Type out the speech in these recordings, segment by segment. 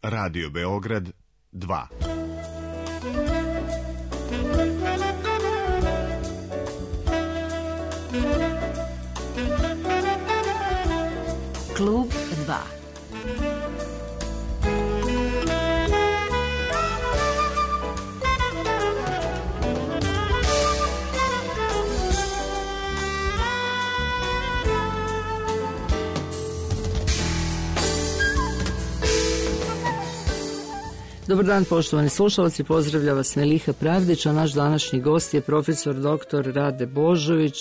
Radio Beograd 2. Klub 2. Dobar dan, poštovani slušalci, pozdravlja vas Meliha Pravdić, a naš današnji gost je profesor dr. Rade Božović,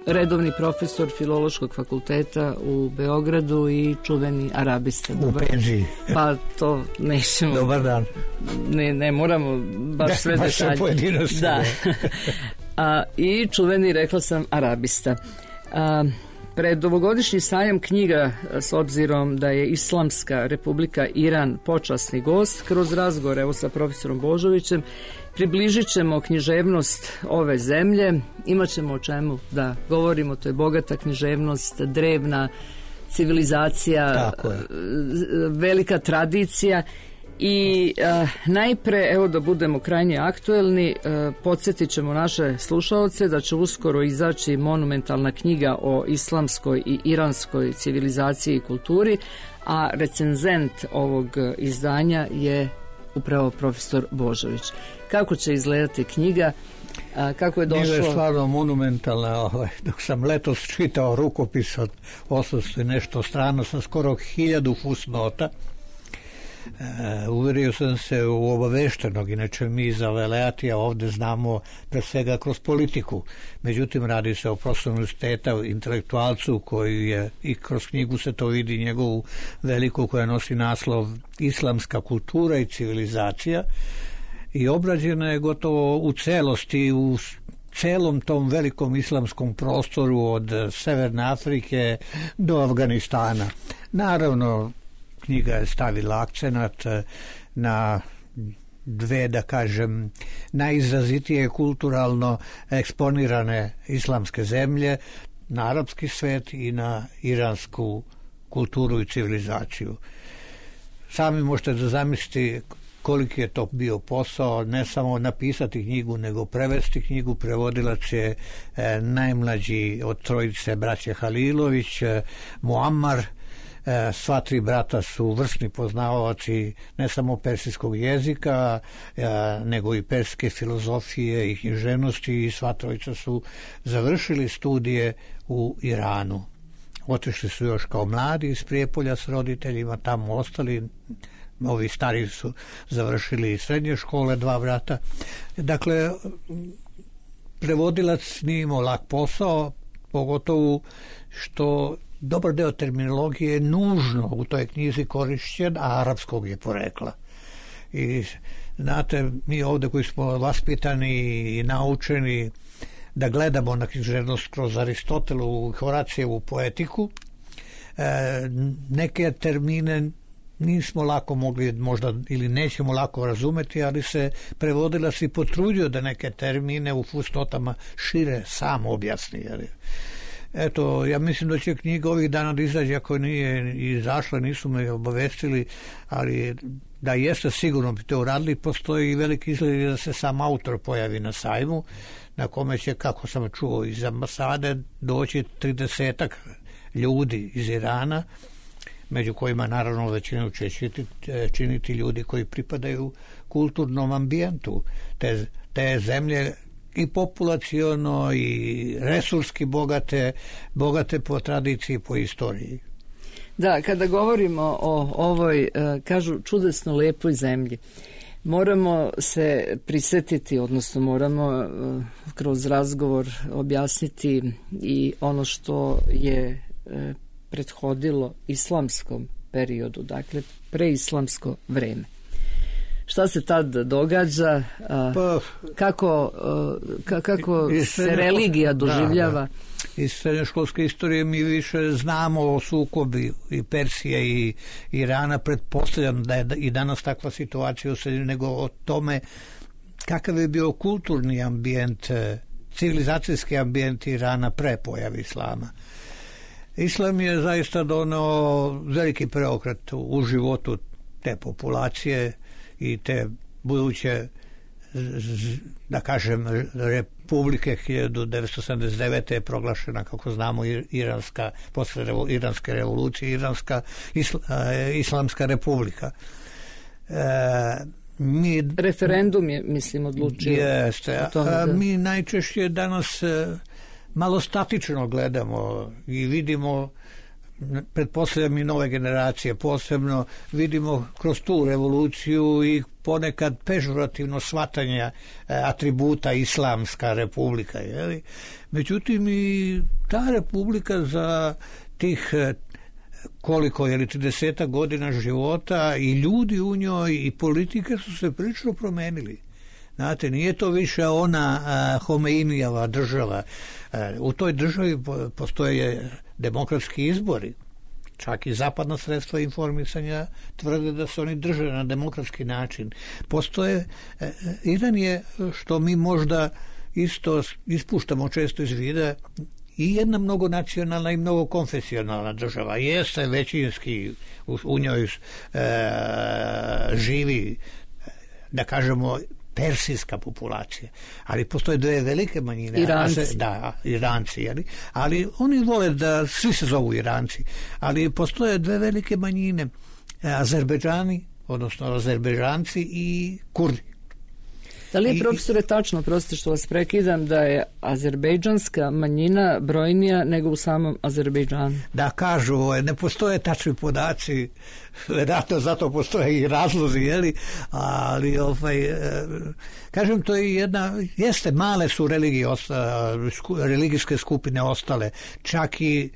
redovni profesor Filološkog fakulteta u Beogradu i čuveni arabista. U penziji. Pa to nećemo. Dobar dan. Ne moramo baš sve detalje. Da. I čuveni, rekla sam, arabista. Pred ovogodišnji sajam knjiga, s obzirom da je Islamska Republika Iran počasni gost, kroz razgovor evo sa profesorom Božovićem približit ćemo književnost ove zemlje, imat ćemo o čemu da govorimo, to je bogata književnost, drevna civilizacija, velika tradicija. I najpre, evo da budemo krajnje aktuelni, podsjetit ćemo naše slušaoce da će uskoro izaći monumentalna knjiga o islamskoj i iranskoj civilizaciji i kulturi, a recenzent ovog izdanja je upravo profesor Božović. Kako će izgledati knjiga? Kako je došlo? Knjiga je stvarno monumentalna. Dok sam letos čitao rukopis od 800 i nešto strana sa skoro 1000 fusnota, uverio sam se u obaveštenog, inače mi za Veleatija ovdje znamo pre svega kroz politiku, međutim radi se o profesoru univerziteta, intelektualcu koji je, i kroz knjigu se to vidi, njegovu veliku koja nosi naslov Islamska kultura i civilizacija, i obrađena je gotovo u celosti u celom tom velikom islamskom prostoru od Severne Afrike do Afganistana. Naravno, knjiga je stavila akcenat na dve, da kažem, najizrazitije kulturalno eksponirane islamske zemlje, na arapski svet i na iransku kulturu i civilizaciju. Sami možete da zamisliti koliki je to bio posao, ne samo napisati knjigu, nego prevesti knjigu. Prevodilac je najmlađi od trojice braće Halilović, Muammar. Sva tri brata su vrsni poznavaoci ne samo persijskog jezika, nego i persijske filozofije i književnosti, i sva trojica su završili studije u Iranu. Otišli su još kao mladi iz Prijepolja s roditeljima, tamo ostali. Ovi stari su završili srednje škole, dva brata. Dakle, prevodilac nije imao lak posao, pogotovo što dobar deo terminologije je nužno u toj knjizi korišćen, a arapskog je porekla. I znate, mi ovdje koji smo vaspitani i naučeni da gledamo na književnost kroz Aristotelu i Horacijevu poetiku, neke termine nismo lako mogli možda ili nećemo lako razumeti, ali se prevodilac i potrudio da neke termine u fusnotama šire sam objasni. Eto, ja mislim da će knjiga ovih dana da izađe, ako nije izašla, nisu me obavestili, ali da jeste sigurno bi to uradili. Postoji i veliki izgled da se sam autor pojavi na sajmu, na kome će, kako sam čuo iz ambasade, doći 30 ljudi iz Irana, među kojima naravno većinu će činiti ljudi koji pripadaju kulturnom ambijentu te zemlje, i populaciono i resurski bogate po tradiciji, po istoriji. Da, kada govorimo o ovoj, kažu, čudesno lepoj zemlji, moramo se prisjetiti, odnosno moramo kroz razgovor objasniti i ono što je prethodilo islamskom periodu, dakle preislamsko vreme. Šta se tad događa, kako se religija doživljava? Da. Iz srednjoškolske istorije mi više znamo o sukobi i Persije i Irana. Pretpostavljam da je i danas takva situacija u sredini, nego o tome kakav je bio kulturni ambijent, civilizacijski ambijent Irana pre pojave islama. Islam je zaista doneo veliki preokret u životu te populacije i te buduće, da kažem, republike 1979. je proglašena, kako znamo, posle Iranske revolucije, Islamska republika. Referendum je, mislim, odlučio. Jeste, mi najčešće danas malo statično gledamo i vidimo, pretpostavljam i nove generacije posebno, vidimo kroz tu revoluciju i ponekad pežorativno shvatanje atributa Islamska republika. Jeli? Međutim, i ta republika za tih koliko, 30 godina života i ljudi u njoj i politike su se prilično promenili. Znate, nije to više ona Homeinijeva država. U toj državi postoje demokratski izbori. Čak i zapadna sredstva informisanja tvrde da se oni drže na demokratski način. Iran je, što mi možda isto ispuštamo često iz vida, i jedna mnogonacionalna i mnogokonfesionalna država. Jeste većinski u njoj živi, da kažemo, persijska populacija, ali postoje dve velike manjine. Iranci, jeli? Ali oni vole da svi se zovu Iranci, ali postoje dve velike manjine, Azerbejdžani, odnosno Azerbejdžanci i Kurdi. Da li je, profesore, tačno, prostite što vas prekidam, da je azerbejdžanska manjina brojnija nego u samom Azerbejdžanu? Da, kažu, ne postoje tačni podaci, vjerojatno zato postoje i razlozi, jeli? Ali, kažem, to je jeste, male su religijske skupine ostale, čak i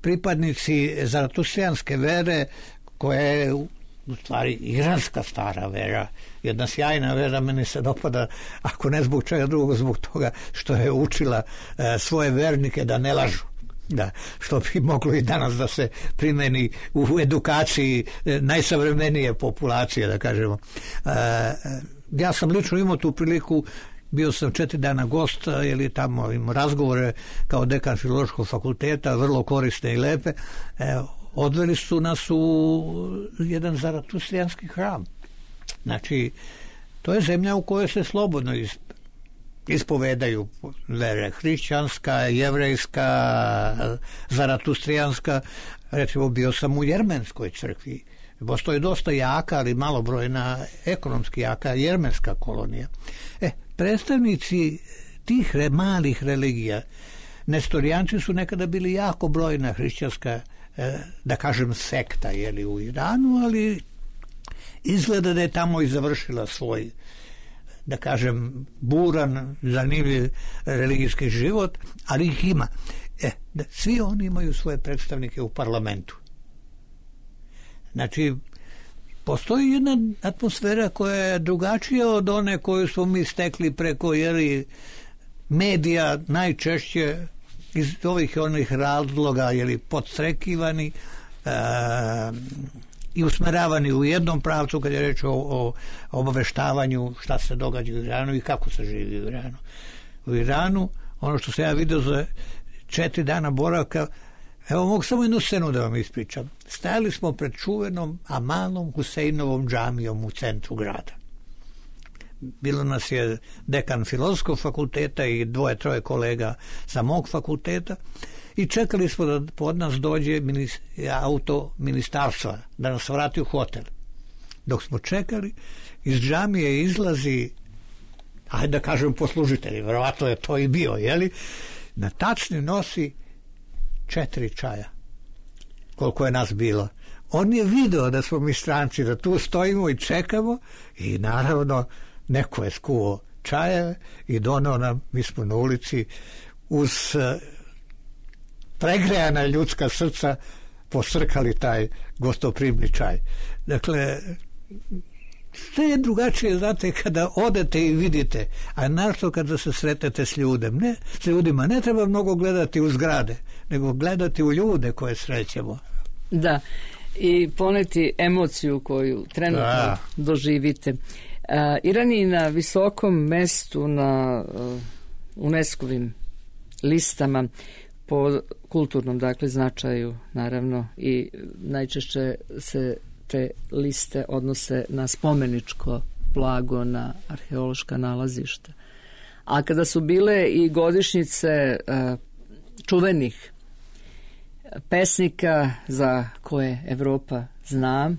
pripadnici zaratustrijanske vere, koja je u stvari iranska stara vera, jedna sjajna vera, meni se dopada, ako ne zbog čega drugog, zbog toga što je učila svoje vernike da ne lažu. Da, što bi moglo i danas da se primeni u edukaciji najsavremenije populacije, da kažemo. Ja sam lično imao tu priliku, bio sam 4 dana gost, jer tamo imao razgovore kao dekan Filološkog fakulteta, vrlo korisne i lepe. Odveli su nas u jedan zaratustrijanski hram. Znači, to je zemlja u kojoj se slobodno ispovedaju vere, hrišćanska, jevrejska, zaratustrijanska. Recimo, bio sam u jermenskoj crkvi. Postoji dosta jaka, ali malobrojna, ekonomski jaka jermenska kolonija. Predstavnici tih malih religija, nestorijanci su nekada bili jako brojna hrišćanska, da kažem, sekta, jeli, u Iranu, ali izgleda da je tamo i završila svoj, da kažem, buran, zanimljiv religijski život, ali ih ima. Svi oni imaju svoje predstavnike u parlamentu. Znači, postoji jedna atmosfera koja je drugačija od one koju smo mi stekli preko, jeli, medija, najčešće iz ovih i onih razloga, jeli, podstrekivani i usmeravani u jednom pravcu kad je reč o obaveštavanju šta se događa u Iranu i kako se živi u Iranu. U Iranu, ono što sam ja vidio za 4 dana boravka, evo, mogu samo jednu scenu da vam ispričam. Stajali smo pred čuvenom Amalom Huseinovom džamijom u centru grada. Bilo nas je dekan Filozofskog fakulteta i 2-3 kolega sa mog fakulteta i čekali smo da pod nas dođe auto ministarstva da nas vrati u hotel. Dok smo čekali, iz džamije izlazi, ajde da kažem, poslužitelji, verovatno je to i bio, jeli? Na tacni nosi 4 čaja, koliko je nas bilo. On je video da smo mi stranci, da tu stojimo i čekamo, i naravno neko je skuo čajeve i donao nam, mi smo na ulici uz pregrejana ljudska srca posrkali taj gostoprimni čaj. Dakle, sve je drugačije, znate, kada odete i vidite, a našto kada se sretete s ljudima, ne treba mnogo gledati u zgrade, nego gledati u ljude koje srećemo. Da, i poneti emociju koju trenutno doživite. Iran je na visokom mestu na UNESCO-vim listama po kulturnom, dakle, značaju, naravno, i najčešće se te liste odnose na spomeničko blago, na arheološka nalazišta. A kada su bile i godišnjice čuvenih pesnika za koje Evropa zna,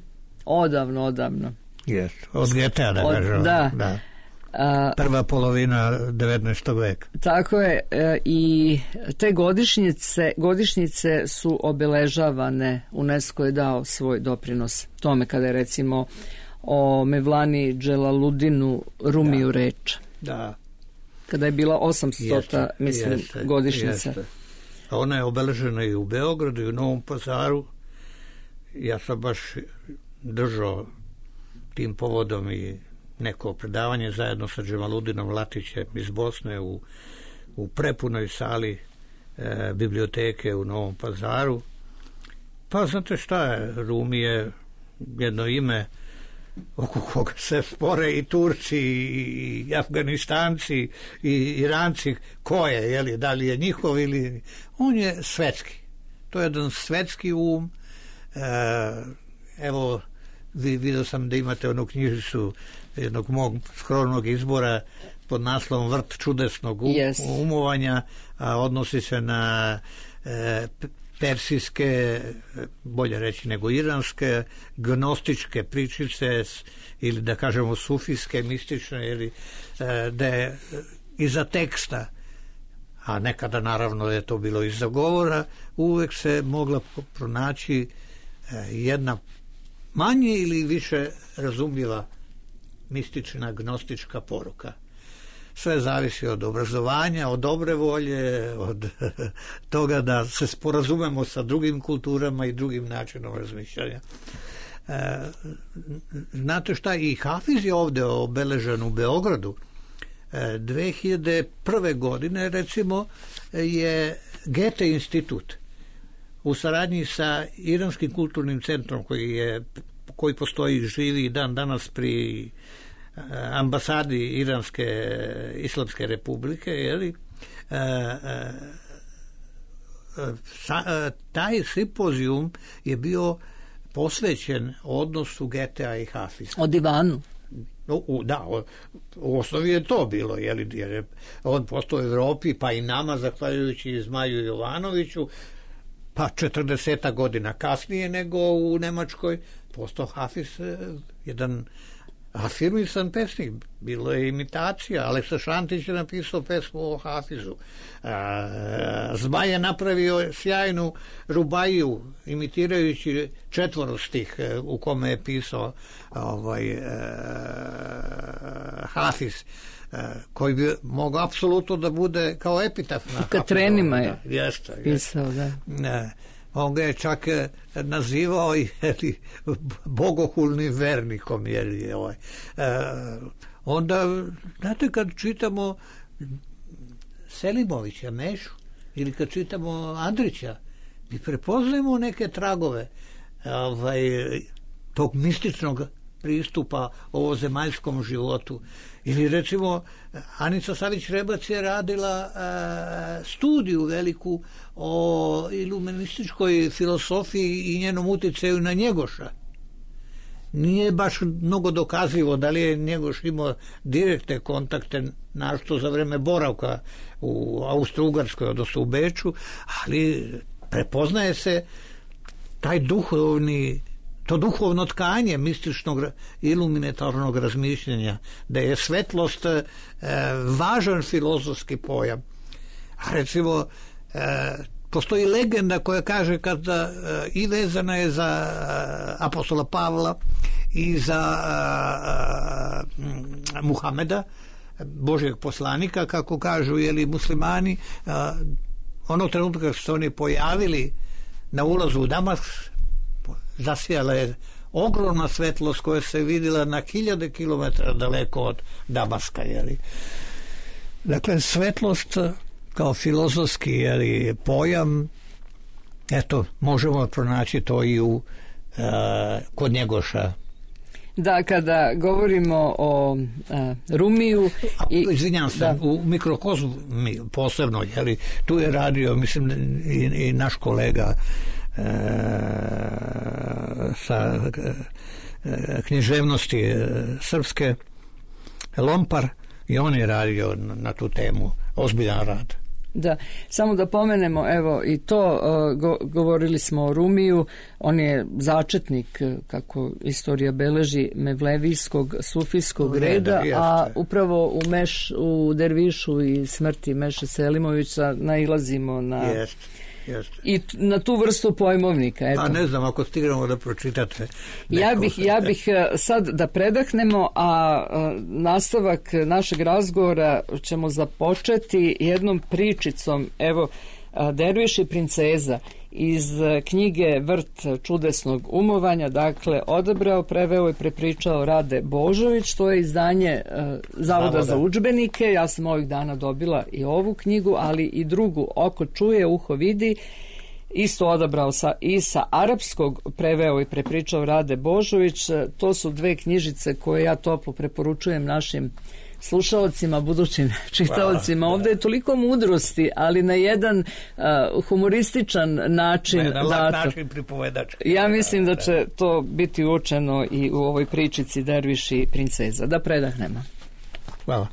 odavno. Yes. Od Goethea, da kažem. Da. Prva polovina 19. veka. Tako je, i te godišnjice su obeležavane. UNESCO je dao svoj doprinos tome kada je recimo o Mevlani Dželaludinu Rumiju reč. Da. Kada je bila 800. godišnjica. Ona je obeležena i u Beogradu i u Novom Pazaru. Ja sam baš držao tim povodom i neko predavanje zajedno sa Džemaludinom Latićem iz Bosne u prepunoj sali biblioteke u Novom Pazaru. Pa znate šta je, Rumi je jedno ime oko koga se spore i Turci i Afganistanci i Iranci, ko je, da li je njihov ili... On je svetski. To je jedan svetski evo, vidio sam da imate onu knjižicu jednog mog skromnog izbora pod naslovom Vrt čudesnog umovanja, a odnosi se na persijske, bolje reći nego iranske, gnostičke pričice ili da kažemo sufijske, mistične, ili da je iza teksta, a nekada naravno je to bilo iza govora, uvek se mogla pronaći jedna manje ili više razumljiva mistična, gnostička poruka. Sve zavisi od obrazovanja, od dobre volje, od toga da se sporazumemo sa drugim kulturama i drugim načinom razmišljanja. Znate šta, i Hafiz je ovde obeležen u Beogradu. 2001. godine, recimo, je Goethe institut u saradnji sa Iranskim kulturnim centrom koji postoji, živi i dan danas pri ambasadi Iranske Islamske republike, taj simpozijum je bio posvećen odnosu Goethea i Hafiza. O divanu. Da, u osnovi je to bilo, jer je on postao u Evropi, pa i nama, zahvaljujući Zmaju Jovanoviću, pa 40 godina kasnije nego u Nemačkoj, postao Hafiz jedan afirmisan pesnik. Bilo je imitacija. Aleksa Šantić je napisao pesmu o Hafizu. Zmaj je napravio sjajnu rubaiju imitirajući četvorostih u kome je pisao Hafiz, koji bi mogao apsolutno da bude kao epitaf na Katrenima je pisao, da. On ga je čak nazivao bogohulnim vernikom. Onda, znate, kad čitamo Selimovića, Mešu, ili kad čitamo Andrića, mi prepoznajemo neke tragove tog mističnog pristupa ovozemaljskom životu. Ili recimo Anica Savić-Rebac je radila studiju veliku o iluminističkoj filosofiji i njenom uticaju na Njegoša. Nije baš mnogo dokazivo da li je Njegoš imao direktne kontakte, našto za vreme boravka u Austro-Ugarskoj, odnosno u Beču, ali prepoznaje se taj to duhovno tkanje mističnog iluminatornog razmišljanja, da je svetlost važan filozofski pojam. A recimo, postoji legenda koja kaže kada i vezana je za apostola Pavla i za Muhameda, Božjeg poslanika, kako kažu muslimani, onog trenutka kad su se oni pojavili na ulazu u Damask, zasijala je ogromna svetlost koja se vidjela na 1000 kilometara daleko od Damaska. Dakle, svetlost kao filozofski pojam, eto, možemo pronaći to i kod Njegoša. Da, kada govorimo o Rumiju... Izvinjam se, u mikrokozmu posebno, tu je radio, mislim, i naš kolega sa književnosti srpske, Lompar, i on je radio na tu temu ozbiljan rad. Da, samo da pomenemo, evo i to, govorili smo o Rumiju, on je začetnik, kako istorija beleži, mevlevijskog sufijskog reda, a upravo u Dervišu i smrti Meše Selimovića nailazimo na... I na tu vrstu pojmovnika. Eto. A ne znam, ako stignemo da pročitate. Ja bih sad da predahnemo, a nastavak našeg razgovora ćemo započeti jednom pričicom. Evo, Derviš i princeza iz knjige Vrt čudesnog umovanja, dakle, odabrao, preveo i prepričao Rade Božović, to je izdanje Zavoda za udžbenike. Ja sam ovih dana dobila i ovu knjigu, ali i drugu, Oko čuje, uho vidi, isto odabrao i sa arapskog, preveo i prepričao Rade Božović. To su dve knjižice koje ja toplo preporučujem našim slušalcima, budućim čitaocima. Ovdje je toliko mudrosti, ali na jedan humorističan način. Na lak način pripovedački. Ja mislim da će to biti uočeno i u ovoj pričici Derviš i princeza. Da predahnemo. Hvala.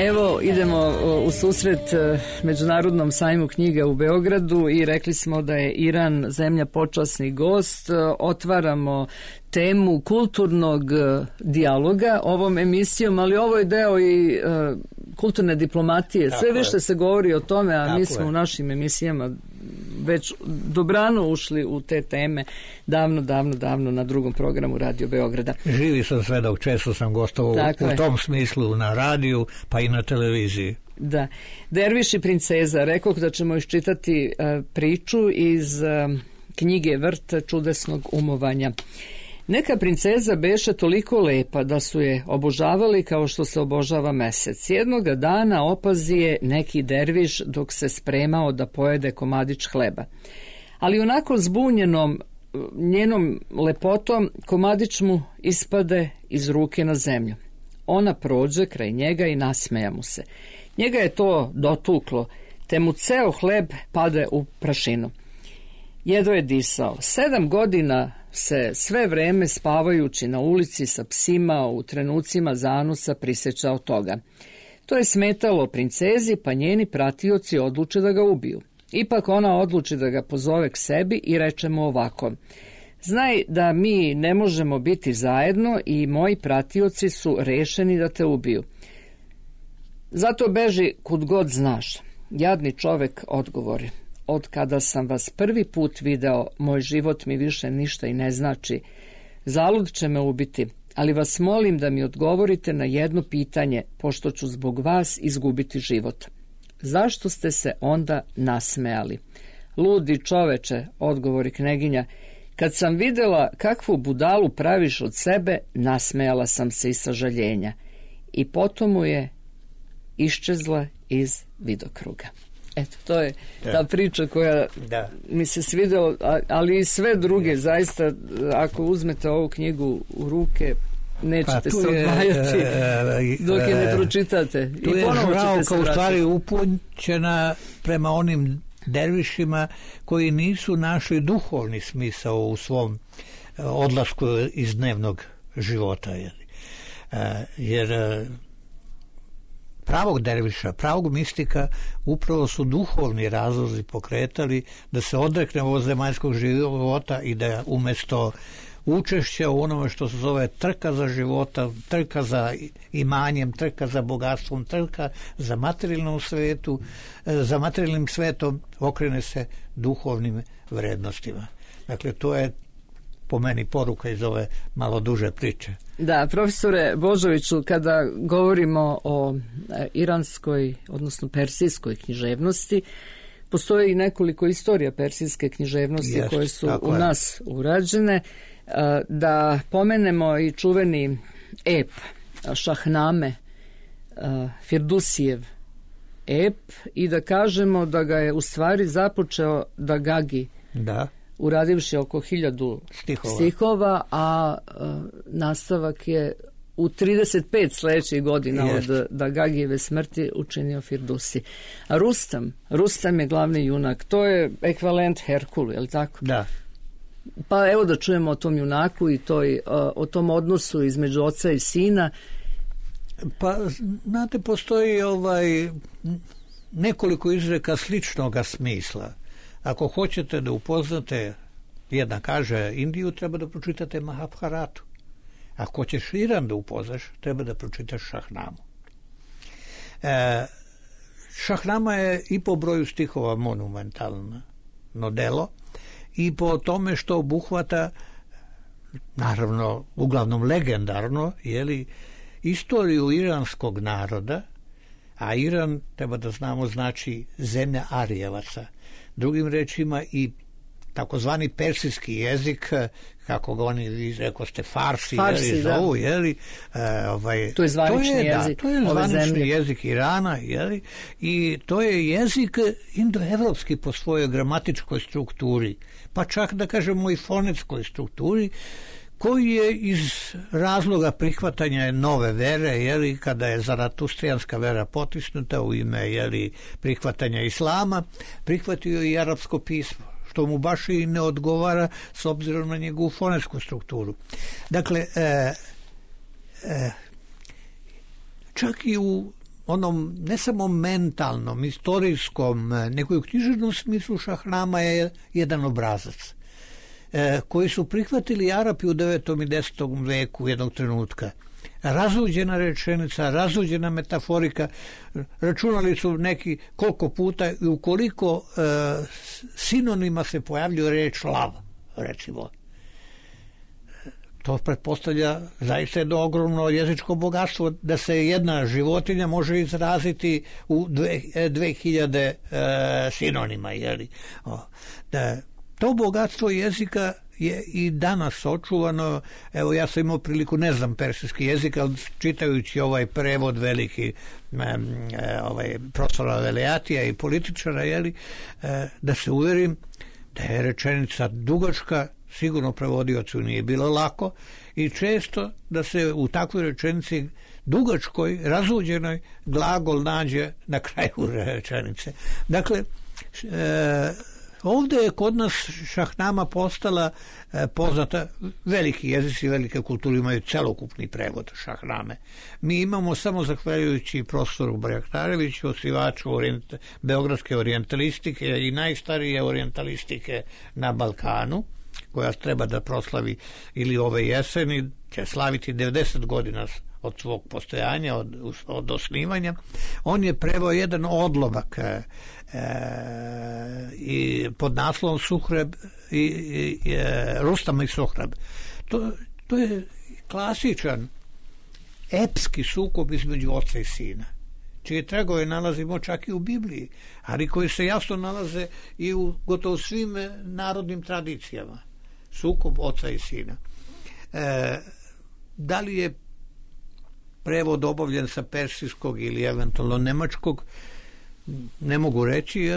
Evo, idemo u susret Međunarodnom sajmu knjiga u Beogradu i rekli smo da je Iran zemlja počasni gost. Otvaramo temu kulturnog dijaloga ovom emisijom, ali ovo je deo i kulturne diplomatije. Sve više se govori o tome, a mi smo u našim emisijama već dobrano ušli u te teme davno na drugom programu Radio Beograda. Živi sam svedok, često sam gostovao u tom smislu na radiju, pa i na televiziji. Da. Derviš i princeza, rekoh da ćemo iščitati priču iz knjige Vrt čudesnog umovanja. Neka princeza beše toliko lepa da su je obožavali kao što se obožava mesec. Jednoga dana opazi je neki derviš dok se spremao da pojede komadić hleba. ali onako zbunjenom njenom lepotom komadić mu ispade iz ruke na zemlju. Ona prođe kraj njega i nasmeja mu se. Njega je to dotuklo, te mu ceo hleb pade u prašinu. Jedva je disao. 7 godina se sve vreme spavajući na ulici sa psima u trenucima zanosa prisjećao toga. To je smetalo princezi, pa njeni pratioci odluče da ga ubiju. Ipak ona odluči da ga pozove k sebi i reče mu ovako: znaj da mi ne možemo biti zajedno i moji pratioci su rešeni da te ubiju. Zato beži kud god znaš. Jadni čovek odgovori: od kada sam vas prvi put video, moj život mi više ništa i ne znači. Zalud će me ubiti, ali vas molim da mi odgovorite na jedno pitanje, pošto ću zbog vas izgubiti život. Zašto ste se onda nasmejali? Ludi čoveče, odgovori kneginja, kad sam videla kakvu budalu praviš od sebe, nasmejala sam se iz sažaljenja. I potom mu je iščezla iz vidokruga. Eto, to je ta priča koja mi se svidela, ali i sve druge, zaista, ako uzmete ovu knjigu u ruke, nećete se odvajati dok je ne pročitate. Tu je žralka u stvari upućena prema onim dervišima koji nisu našli duhovni smisao u svom odlasku iz dnevnog života. Jer pravog derviša, pravog mistika upravo su duhovni razlozi pokretali da se odrekne ovog zemaljskog života i da umjesto učešća u onome što se zove trka za života, trka za imanjem, trka za bogatstvom, trka za materijalnom svetu, za materijalnim svetom, okrene se duhovnim vrednostima. Dakle, to je po meni poruka iz ove malo duže priče. Da, profesore Božoviću, kada govorimo o iranskoj, odnosno persijskoj književnosti, postoji i nekoliko istorija persijske književnosti koje su u nas urađene. Da pomenemo i čuveni ep Šahname, Firdusijev ep, i da kažemo da ga je u stvari započeo Dagagi, uradivši oko 1000 stihova, a nastavak je u 35 sljedećih godina od Dagagijeve smrti učinio Firdusi. A Rustam je glavni junak, to je ekvivalent Herkulu, je li tako? Da. Pa evo da čujemo o tom junaku i o tom odnosu između oca i sina. Pa, znate, postoji nekoliko izreka sličnoga smisla. Ako hoćete da upoznate, jedna kaže Indiju, treba da pročitate Mahabharatu. Ako hoćeš Iran da upoznaš, treba da pročitaš Šahnamu. Šahnama je i po broju stihova monumentalno delo i po tome što obuhvata, naravno, uglavnom legendarno, istoriju iranskog naroda, a Iran, treba da znamo, znači zemlja Arijevaca. Drugim rečima i takozvani persijski jezik, kako ga oni rekoste, Farsi zovu, to je zvanični jezik. To je zvanični jezik Irana, i to je jezik indoevropski po svojoj gramatičkoj strukturi, pa čak da kažemo i fonetskoj strukturi, koji je iz razloga prihvatanja nove vere, kada je zaratustrijanska vera potisnuta u ime prihvatanja islama, prihvatio i arapsko pismo, što mu baš i ne odgovara s obzirom na njegovu fonetsku strukturu. Dakle, čak i u onom ne samo mentalnom, istorijskom, nego i u književnom smislu Šahnama je jedan obrazac koji su prihvatili Arapi u 9. i 10. veku jednog trenutka. Razuđena rečenica, razuđena metaforika, računali su neki koliko puta i ukoliko sinonima se pojavljuje reč lav, recimo. To pretpostavlja zaista jedno ogromno jezičko bogatstvo, da se jedna životinja može izraziti u 2000 sinonima. To bogatstvo jezika je i danas očuvano. Evo, ja sam imao priliku, ne znam persijski jezik, ali čitajući ovaj prevod veliki profesora Veleatija i političara, da se uverim da je rečenica dugačka, sigurno prevodiocu nije bilo lako i često da se u takvoj rečenici dugačkoj, razuđenoj, glagol nađe na kraju rečenice. Dakle, ovdje je kod nas šahnama postala poznata, veliki jezici, velike kulture imaju celokupni prevod šahname. Mi imamo samo zahvaljujući profesoru Barjaktareviću, osnivaču beogradske orijentalistike i najstarije orijentalistike na Balkanu, koja treba da proslavi ili ove jeseni, će slaviti 90 godina od svog postojanja, od osnivanja. On je preveo jedan odlomak i pod naslovom Suhreb i Rustam i Suhreb. To je klasičan epski sukob između oca i sina, čije tragove nalazimo čak i u Bibliji, ali koji se jasno nalaze i u gotovo svim narodnim tradicijama. Sukob oca i sina. Da li je prevod obavljen sa persijskog ili eventualno nemačkog, ne mogu reći,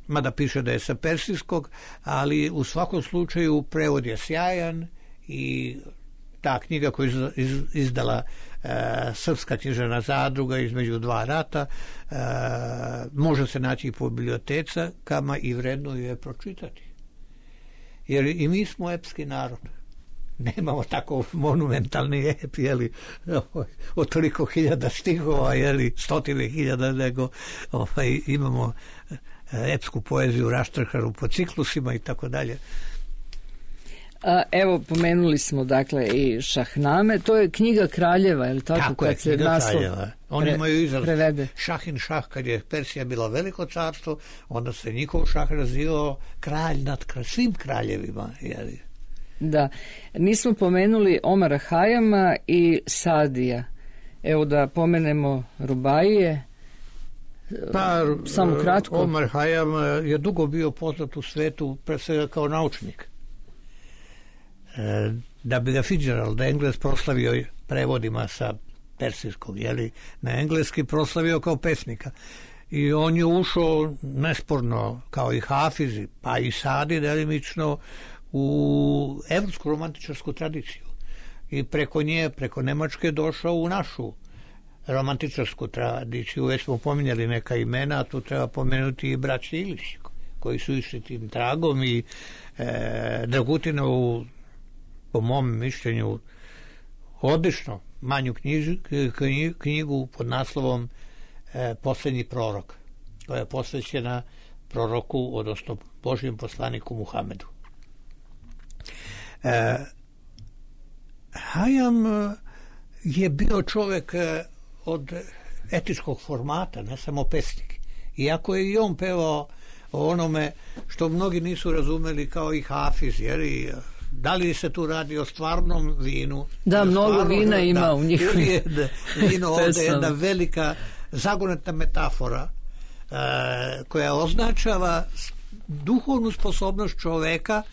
mada piše da je sa persijskog, ali u svakom slučaju prevod je sjajan i ta knjiga koju je izdala Srpska književna zadruga između dva rata može se naći i po bibliotecama i vredno ju je pročitati. Jer i mi smo epski narod. Nemamo tako monumentalni ep, od toliko hiljada stihova, stotine hiljada, nego imamo epsku poeziju raštrkanu po ciklusima i tako dalje. Evo, pomenuli smo dakle i šahname, to je knjiga kraljeva, je li tako? Tako je, knjiga kraljeva. Oni imaju izraz prevede. Šahin šah, kad je Persija bila veliko carstvo, onda se njihov šah razvio kralj nad svim kraljevima. Da, nismo pomenuli Omara Hayama i Sadija. Evo da pomenemo Rubaije. Samo kratko. Omar Hayam je dugo bio poznat u svetu, pre svega kao naučnik. Da bi ga Fitzgerald Engles proslavio prevodima sa persijskog, na engleski proslavio kao pesnika. I on je ušao nesporno, kao i Hafizi, pa i Sadi delimično, u evropsku romantičarsku tradiciju. I preko nje, preko Nemačke, došao u našu romantičarsku tradiciju. Već smo pominjali neka imena, a tu treba pomenuti i braći Ilić, koji su išli tim tragom i Dragutinovu, po mom mišljenju, odlično manju knjigu pod naslovom Posljednji prorok, koja je posvećena proroku, odnosno Božjem poslaniku Muhamedu. Hayam je bio čovjek od etičkog formata, ne samo pesnik. Iako je i on pevao o onome što mnogi nisu razumeli, kao i Hafiz, da li se tu radi o stvarnom vinu? Da, mnogo vina ima u njih. Vino ovdje je jedna velika zagonetna metafora koja označava duhovnu sposobnost čoveka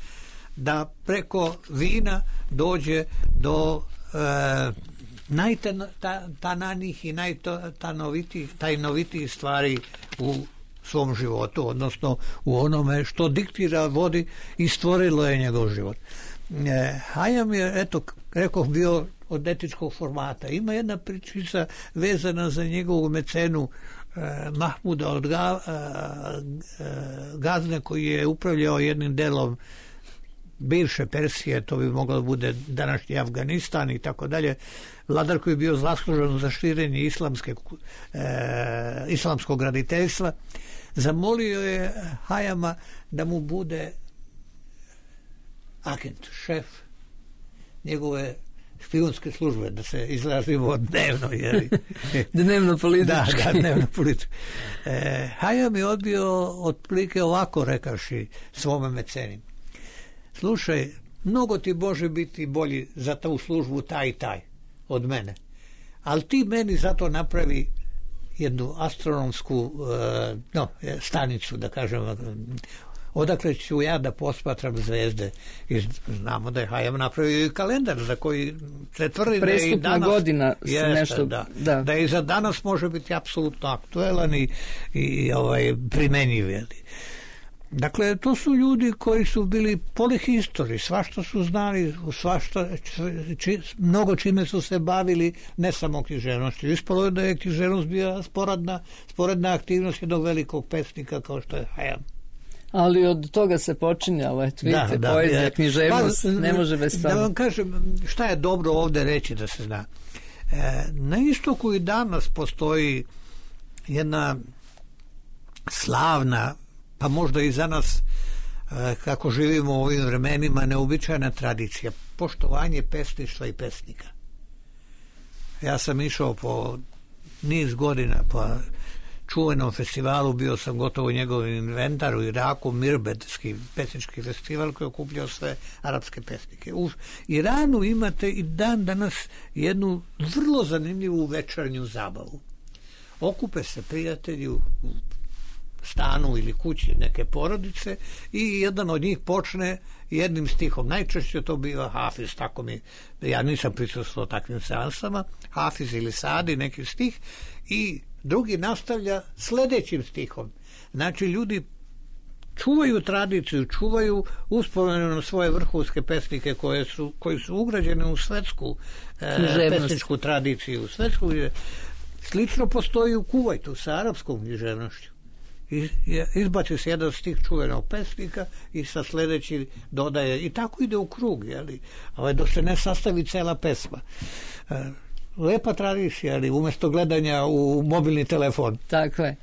da preko vina dođe do najtananijih i najtajnovitijih stvari u svom životu, odnosno u onome što diktira, vodi i stvorilo je njegov život. Hayam je, rekoh, bio od etičkog formata. Ima jedna pričica vezana za njegovu mecenu Mahmuda od Gazne, koji je upravljao jednim delom bivše Persije, to bi moglo da bude današnji Afganistan i tako dalje. Vladar koji je bio zaslužen za širenje islamskog graditeljstva, zamolio je Hayama da mu bude agent, šef njegove špijunske službe, da se izrazimo dnevno. Dnevno politički. Da, dnevno politički. Hayam je odbio otprilike ovako, rekavši svome meceni: slušaj, mnogo ti može biti bolji za tu službu taj i taj od mene, ali ti meni zato napravi jednu astronomsku stanicu, da kažem, odakle ću ja da posmatram zvezde. I znamo da je Hayam napravio i kalendar za koji se tvrdi da je i danas godina nešto, da i za danas može biti apsolutno aktuelan i primenjiv. Dakle, to su ljudi koji su bili polihistori, svašta su znali, mnogo čime su se bavili, ne samo književnošću. Ispalo je da je književnost bila sporedna aktivnost jednog velikog pesnika kao što je Hayam. Ali od toga se počinjalo, vidite, poezija, književnost, ne može bez toga. Da vam kažem, šta je dobro ovdje reći da se zna. Na istoku i danas postoji jedna slavna, pa možda i za nas, kako živimo u ovim vremenima, neobičajna tradicija, poštovanje pesništva i pesnika. Ja sam išao po niz godina po čuvenom festivalu, bio sam gotovo u njegovom inventaru u Iraku, Mirbedski pesnički festival koji je okupljao sve arapske pesnike. U Iranu imate i dan danas jednu vrlo zanimljivu večernju zabavu. Okupe se prijatelji u stanu ili kući neke porodice i jedan od njih počne jednim stihom. Najčešće to biva Hafiz, tako ja nisam prisustvovao takvim seansama, Hafiz ili Sadi, neki stih, i drugi nastavlja sljedećim stihom. Znači, ljudi čuvaju tradiciju, čuvaju uspomenu na svoje vrhunske pesnike koji su ugrađene u svetsku pesničku tradiciju. Slično postoji u Kuvajtu sa arapskom književnošću. Izbaci se jedan stih čuvenog pesnika i sa sljedeći dodaje, i tako ide u krug, dok se ne sastavi cela pesma. Lepa tradicija, ali umjesto gledanja u mobilni telefon. Tako je.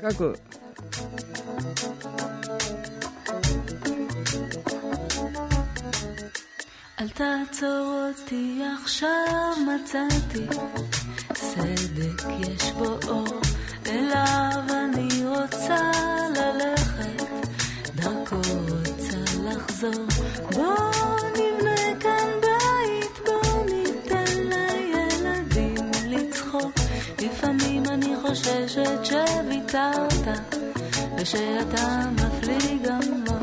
Kako? אל תעצור אותי עכשיו, מצאתי צדק יש בו אור, אליו אני רוצה ללכת, דרכו רוצה לחזור. בוא נבנה כאן בית, בוא ניתן לילדים לצחוק. לפעמים אני חוששת שוויתרת ושאתה מפליג עמוק.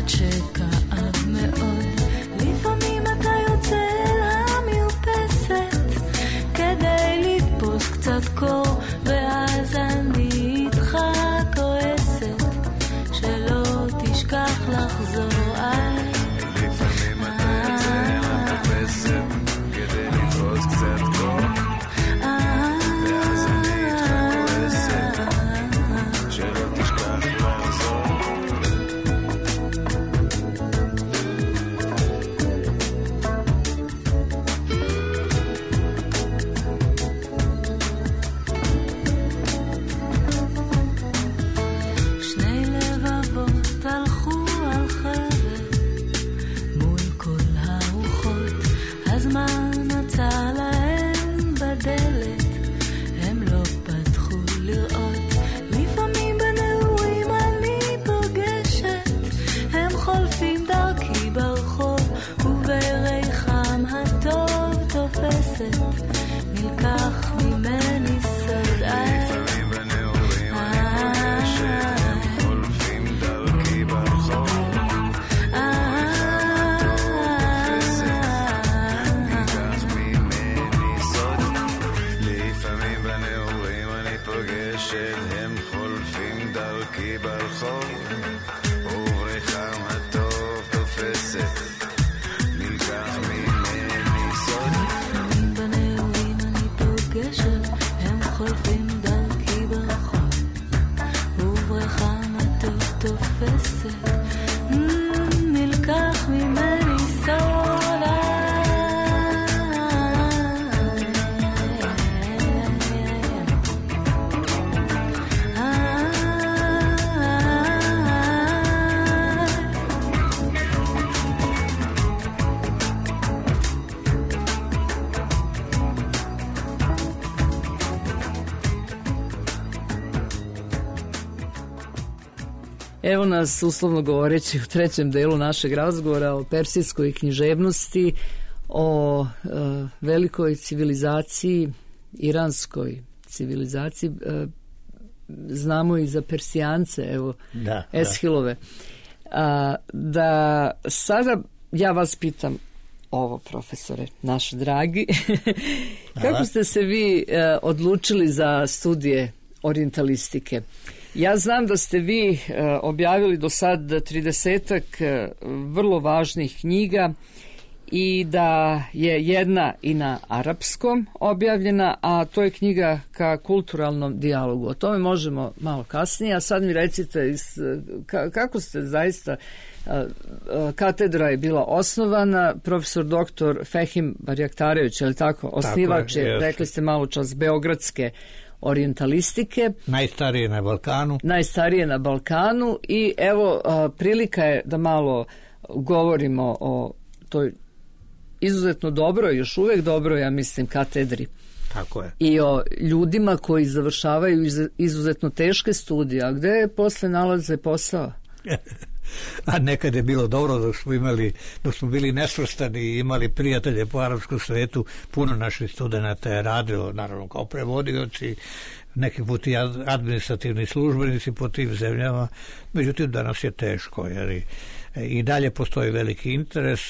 שכאב מאוד, לפעמים אתה יוצא אל המרפסת כדי לתפוס קצת קור, ואז אני איתך כועסת שלא תשכח לחזור. לפעמים אתה יוצא אל המרפסת כדי לתפוס קצת קור, ואז אני איתך כועסת שלא תשכח לחזור. Evo nas, uslovno govoreći, u trećem delu našeg razgovora o persijskoj književnosti, o velikoj civilizaciji, iranskoj civilizaciji. Znamo i za Persijance, evo, Eshilove. Da sada ja vas pitam ovo, profesore, naš dragi, kako ste se vi odlučili za studije orijentalistike? Ja znam da ste vi objavili do sad 30-ak vrlo važnih knjiga i da je jedna i na arapskom objavljena, a to je knjiga Ka kulturalnom dijalogu. O tome možemo malo kasnije, a sad mi recite kako ste zaista, katedra je bila osnovana, profesor doktor Fehim Barjaktarević, je li tako? Osnivač je, rekli ste malo čas, beogradske orijentalistike. Najstarije na Balkanu i evo prilika je da malo govorimo o toj izuzetno dobro, još uvek dobro, ja mislim, katedri. Tako je. I o ljudima koji završavaju izuzetno teške studije, a gde posle nalaze posao? A nekad je bilo dobro dok smo bili nesvrstani i imali prijatelje po arapskom svetu, puno naših studenata je radilo, naravno kao prevodioci, neki put i administrativni službenici po tim zemljama, međutim danas je teško, jer i dalje postoji veliki interes,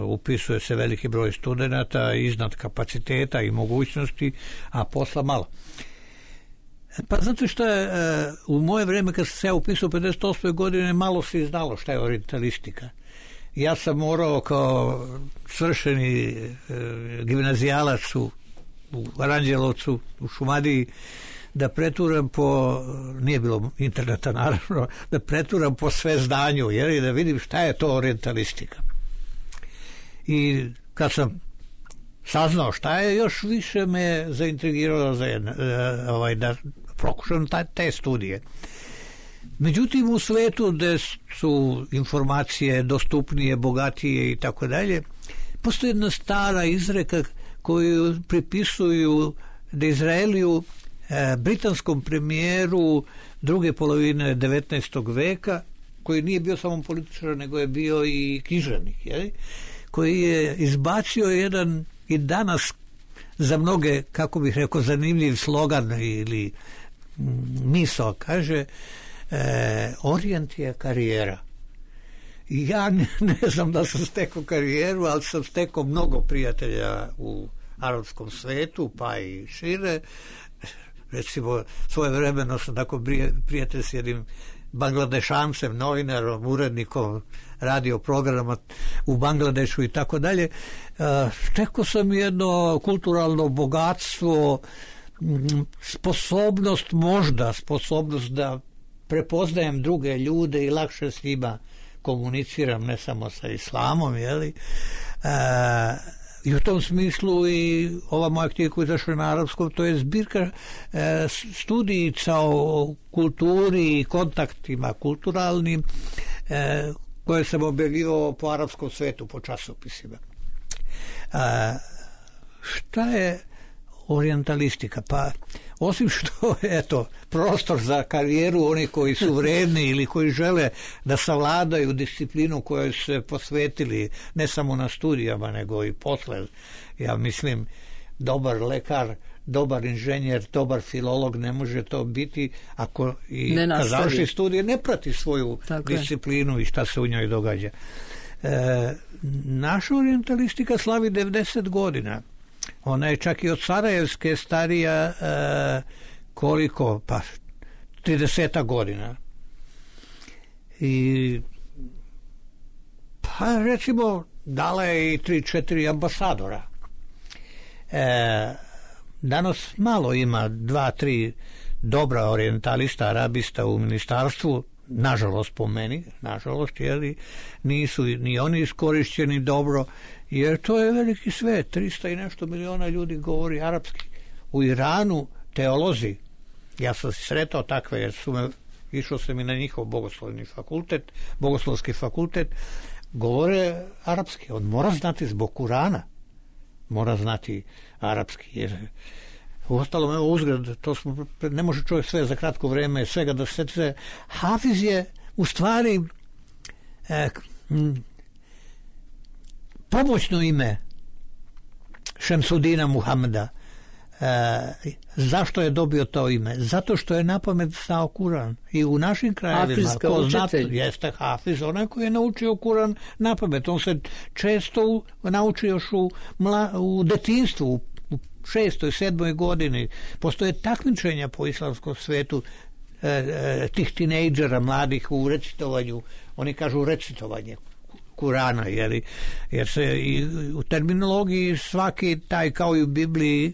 upisuje se veliki broj studenata iznad kapaciteta i mogućnosti, a posla malo. Pa znate što je, u moje vreme kad sam se ja upisao 58. godine malo se znalo šta je orientalistika. Ja sam morao kao svršeni gimnazijalac u Aranđelovcu, u Šumadiji, da preturam nije bilo interneta naravno, da preturam po sve zdanju, jer da vidim šta je to orientalistika. I kad sam saznao šta je, još više me zaintrigiralo da pokušam te studije. Međutim, u svetu gde su informacije dostupnije, bogatije i tako dalje, postoji jedna stara izreka koju pripisuju Disraeliju, britanskom premijeru druge polovine 19. veka, koji nije bio samo političar, nego je bio i književnik, koji je izbacio jedan i danas za mnoge, kako bih rekao, zanimljiv slogan ili misao, kaže Orient je karijera. I ja ne znam da sam stekao karijeru, ali sam stekao mnogo prijatelja u arapskom svetu, pa i šire. Recimo, svojevremeno sam tako prijatelj s jednim Bangladešancem, novinarom, urednikom radio programa u Bangladešu i tako dalje. Stekao sam jedno kulturalno bogatstvo, sposobnost da prepoznajem druge ljude i lakše s njima komuniciram, ne samo sa islamom, i u tom smislu i ova moja knjiga koja je izašla na arapskom, to je zbirka studijica o kulturi i kontaktima kulturalnim koje sam objavio po arapskom svetu, po časopisima. Šta je orientalistika? Pa osim što je prostor za karijeru onih koji su vredni ili koji žele da savladaju disciplinu kojoj su se posvetili ne samo na studijama nego i posle, ja mislim, dobar lekar, dobar inženjer, dobar filolog ne može to biti ako i kad završi studije ne prati svoju disciplinu i šta se u njoj događa. Naša orientalistika slavi 90 godina. Ona je čak i od Sarajevske starija koliko? Pa 30 godina. I pa recimo dala je i 3-4 ambasadora. Danas malo ima 2-3 dobra orijentalista, arabista u ministarstvu, nažalost po meni, jer nisu ni oni iskorišćeni dobro, jer to je veliki svet, 300 i nešto miliona ljudi govori arapski. U Iranu teolozi, ja sam sretao takve, jer išao sam i na njihov bogoslovski fakultet, govore arapski. On mora znati zbog Kurana, mora znati arapski, jer uostalom, uzgled, ne može čovjek sve za kratko vreme, svega da se Hafiz je u stvari pomoćno ime Šemsudina Muhameda. Zašto je dobio to ime? Zato što je napamet znao Kuran. I u našim krajevima jeste Hafiz, onaj koji je naučio Kuran napamet. On se često nauči još u detinjstvu, u 6. 7. godini. Postoje takmičenja po islamskom svetu tih tinejdžera mladih u recitovanju. Oni kažu recitovanje Kurana, jer se i u terminologiji svaki taj, kao i u Bibliji,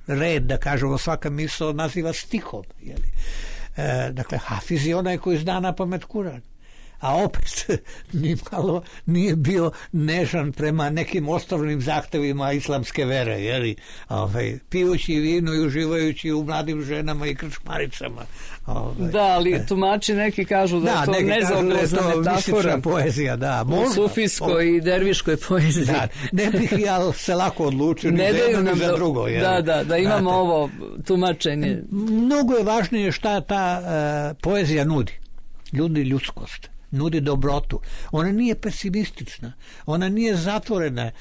red, da kažemo, svaka misao naziva stihom. Dakle, Hafiz je onaj koji zna na pamet Kuran. A opet nimalo nije bio nežan prema nekim osnovnim zahtevima islamske vere, pijući vino i uživajući u mladim ženama i krčmaricama. Da, ali tumači neki kažu da je to nezaobilazna metafora. Poezija, da. U sufijskoj i derviškoj poeziji. Da, ne bih ja se lako odlučio ni za jedno ni za drugo. Da imamo ovo tumačenje. Mnogo je važnije šta ta poezija nudi. Ljudskost. Nudi dobrotu. Ona nije pesimistična. Ona nije zatvorena.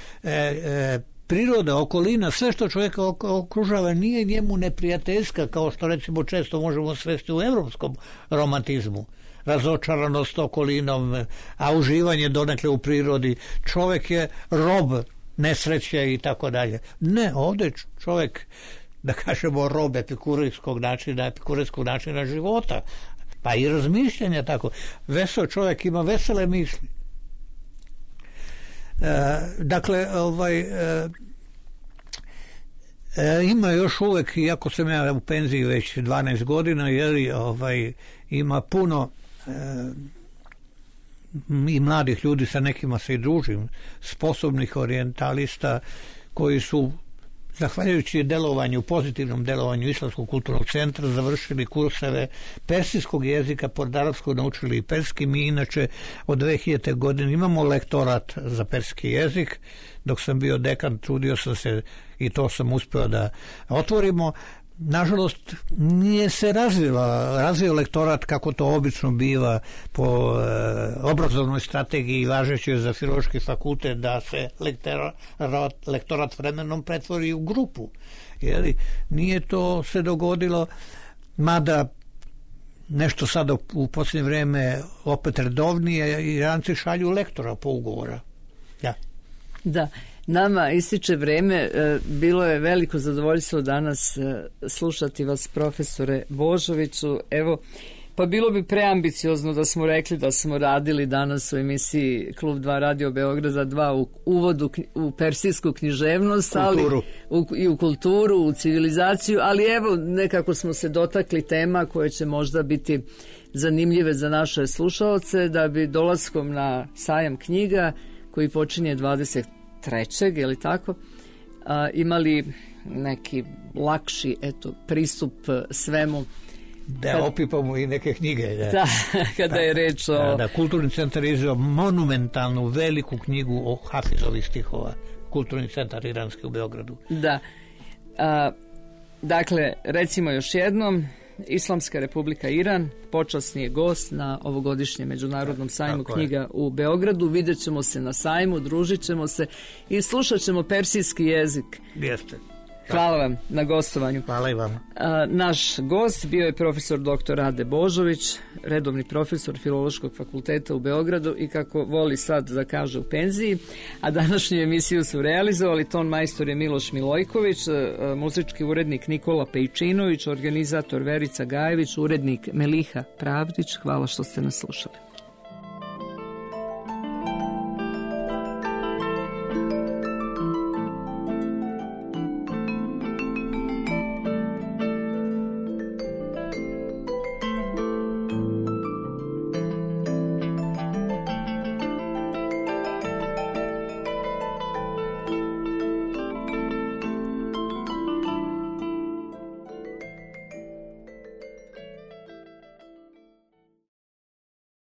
Priroda, okolina, sve što čovjeka okružava nije njemu neprijateljska, kao što recimo često možemo svesti u evropskom romantizmu. Razočaranost okolinom, a uživanje donekle u prirodi. Čovjek je rob nesreće i tako dalje. Ne, ovdje čovjek, da kažemo, rob epikurijskog načina života. Pa i razmišljanja tako. Vesel čovjek ima vesele misli. Dakle, ima još uvijek, iako sam ja u penziji već 12 godina, ima puno i mladih ljudi, sa nekima se i družim, sposobnih orijentalista koji su, zahvaljujući pozitivnom delovanju Islamskog kulturnog centra, završili kurseve persijskog jezika, pored arapskog naučili i perski. Mi inače od 2000. godine imamo lektorat za perski jezik. Dok sam bio dekan, trudio sam se i to sam uspio da otvorimo. Nažalost, nije se razvio lektorat kako to obično biva po obrazovnoj strategiji važećoj za Filološki fakultet, da se lektorat vremenom pretvori u grupu. Nije to se dogodilo, mada nešto sada u posljednje vrijeme opet redovnije, Iranci šalju lektora po ugovora. Da. Nama ističe vreme, bilo je veliko zadovoljstvo danas slušati vas, profesore Božoviću. Evo, pa bilo bi preambiciozno da smo rekli da smo radili danas u emisiji Klub 2 Radio Beograda 2 u uvodu u persijsku književnost, i u kulturu, u civilizaciju, ali evo, nekako smo se dotakli tema koje će možda biti zanimljive za naše slušaoce, da bi dolaskom na sajam knjiga koji počinje 23. je li tako, imali neki lakši pristup svemu. Da opipamo i neke knjige. Da, kada je reč o... Da, Kulturni centar je izveo monumentalnu veliku knjigu o Hafizovih stihova. Kulturni centar iranski u Beogradu. Da. Dakle, recimo još jednom, Islamska Republika Iran počasni je gost na ovogodišnjem međunarodnom sajmu knjiga u Beogradu. Vidjet ćemo se na sajmu, družit ćemo se i slušat ćemo persijski jezik. Jeste. Hvala vam na gostovanju. Hvala i vama. Naš gost bio je profesor dr. Rade Božović, redovni profesor Filološkog fakulteta u Beogradu i, kako voli sad da kaže, u penziji. A današnju emisiju su realizovali ton majstor je Miloš Milojković, muzički urednik Nikola Pejčinović, organizator Verica Gajević, urednik Meliha Pravdić. Hvala što ste nas slušali.